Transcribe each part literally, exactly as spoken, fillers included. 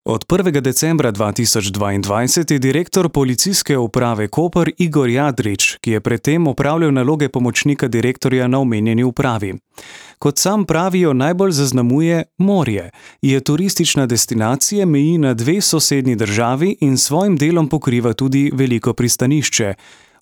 Od prvega decembra dva tisoč dvaindvajset je direktor Policijske uprave Koper Igor Jadrič, ki je predtem opravljal naloge pomočnika direktorja na omenjeni upravi. Kot sam pravijo, najbolj zaznamuje morje. Je turistična destinacija, meji na dve sosednji državi in s svojim delom pokriva tudi veliko pristanišče.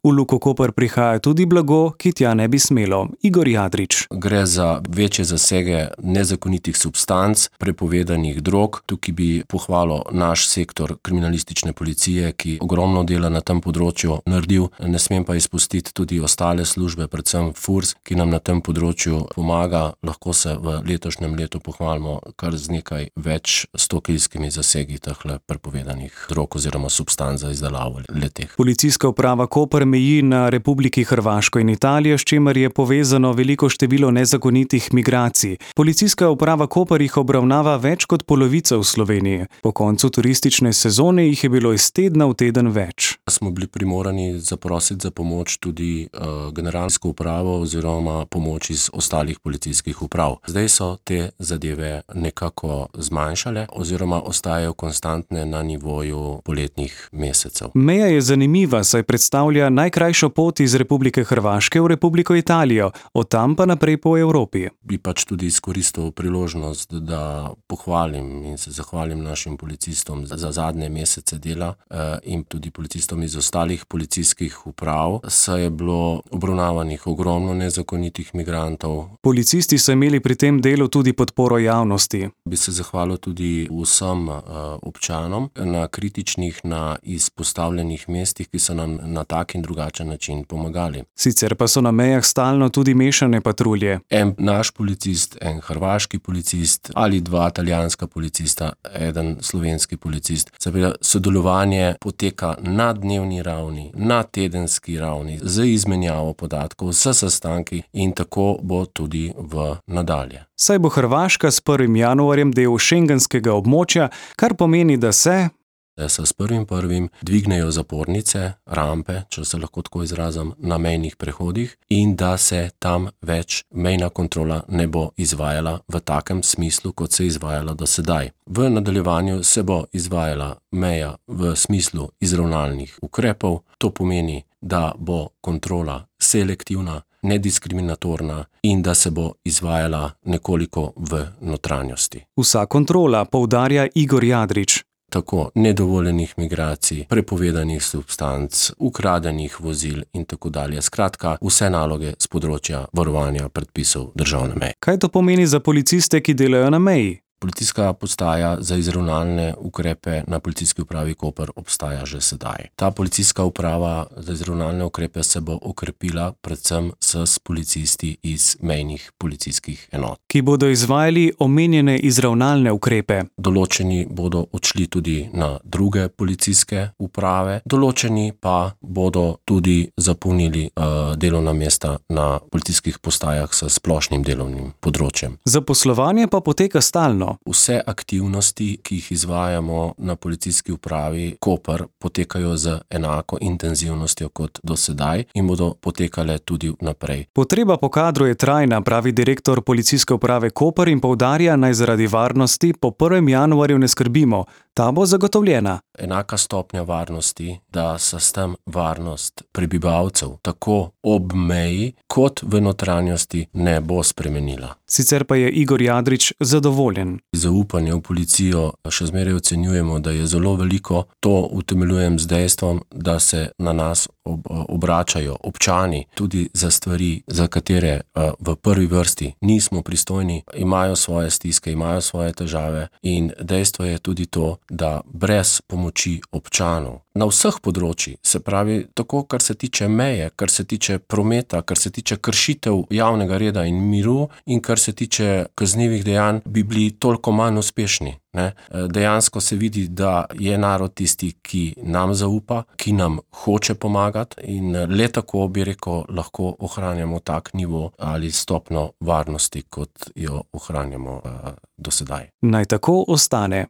V Luko Koper prihaja tudi blago, ki tja ne bi smelo. Igor Jadrič. Gre za večje zasege nezakonitih substanc, prepovedanih drog. Tukaj bi pohvalil naš sektor kriminalistične policije, ki ogromno dela na tem področju naredil. Ne smem pa izpustiti tudi ostale službe, predvsem Furs, ki nam na tem področju pomaga. Lahko se v letošnjem letu pohvalimo kar z nekaj več stokilskimi zasegi tehle prepovedanih drog oziroma substanc za izdelavo le-teh. Policijska uprava Koper meji na Republiki Hrvaško in Italijo, s čimer je povezano veliko število nezakonitih migracij. Policijska uprava Koper jih obravnava več kot polovica v Sloveniji. Po koncu turistične sezone jih je bilo iz tedna v teden več. Smo bili primorani zaprositi za pomoč tudi uh, generalsko upravo oziroma pomoč iz ostalih policijskih uprav. Zdaj so te zadeve nekako zmanjšale oziroma ostajajo konstantne na nivoju poletnih mesecev. Meja je zanimiva, saj predstavlja najkrajšo pot iz Republike Hrvaške v Republiko Italijo, od tam pa naprej po Evropi. Bi pač tudi izkoristil priložnost, da pohvalim in se zahvalim našim policistom za zadnje mesece dela eh, in tudi policistom iz ostalih policijskih uprav. Saj je bilo obravnavanih ogromno nezakonitih migrantov. Policisti so imeli pri tem delu tudi podporo javnosti. Bi se zahvalil tudi vsem uh, občanom na kritičnih, na izpostavljenih mestih, ki so nam na tak in drugačen način pomagali. Sicer pa so na mejah stalno tudi mešane patrulje. En naš policist, en hrvaški policist ali dva italijanska policista, eden slovenski policist. Seveda sodelovanje poteka na dnevni ravni, na tedenski ravni, z izmenjavo podatkov, s sestanki in tako bo tudi v nadalje. Saj bo Hrvaška s prvim januarjem del šengenskega območja, kar pomeni, da se da se s prvim prvim dvignejo zapornice, rampe, če se lahko tako izrazim, na mejnih prehodih in da se tam več mejna kontrola ne bo izvajala v takem smislu, kot se je izvajala do sedaj. V nadaljevanju se bo izvajala meja v smislu izravnalnih ukrepov. To pomeni, da bo kontrola selektivna, nediskriminatorna in da se bo izvajala nekoliko v notranjosti. Vsa kontrola, poudarja Igor Jadrič. Tako nedovoljenih migracij, prepovedanih substanc, ukradenih vozil in tako dalje. Skratka, vse naloge z področja varovanja predpisov državne meje. Kaj to pomeni za policiste, ki delajo na meji? Policijska postaja za izravnalne ukrepe na Policijski upravi Koper obstaja že sedaj. Ta policijska uprava za izravnalne ukrepe se bo okrepila predvsem s policisti iz mejnih policijskih enot, ki bodo izvajali omenjene izravnalne ukrepe. Določeni bodo odšli tudi na druge policijske uprave, določeni pa bodo tudi zapolnili uh, delovna mesta na policijskih postajah s splošnim delovnim področjem. Zaposlovanje pa poteka stalno. Vse aktivnosti, ki jih izvajamo na Policijski upravi Koper, potekajo z enako intenzivnostjo kot do sedaj in bodo potekale tudi naprej. Potreba po kadru je trajna, pravi direktor Policijske uprave Koper in poudarja, naj zaradi varnosti po prvem januarju ne skrbimo. Ta bo zagotovljena. Enaka stopnja varnosti, da se s tem varnost prebivalcev tako ob meji kot v notranjosti ne bo spremenila. Sicer pa je Igor Jadrič zadovoljen. Zaupanje v policijo še zmeraj ocenjujemo, da je zelo veliko. To utemeljujem z dejstvom, da se na nas ob, obračajo občani tudi za stvari, za katere v prvi vrsti nismo pristojni, imajo svoje stiske, imajo svoje težave in dejstvo je tudi to, da brez pomoči občanov na vseh področjih, se pravi tako, kar se tiče meje, kar se tiče prometa, kar se tiče kršitev javnega reda in miru in kar se tiče kaznivih dejanj, bi bili toliko manj uspešni. Ne? Dejansko se vidi, da je narod tisti, ki nam zaupa, ki nam hoče pomagati in le tako, bi rekel, lahko ohranjamo tak nivo ali stopno varnosti, kot jo ohranjamo uh, do sedaj. Naj tako ostane.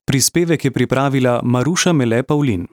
Prispevek je pripravila Maruša Mele Pavlin.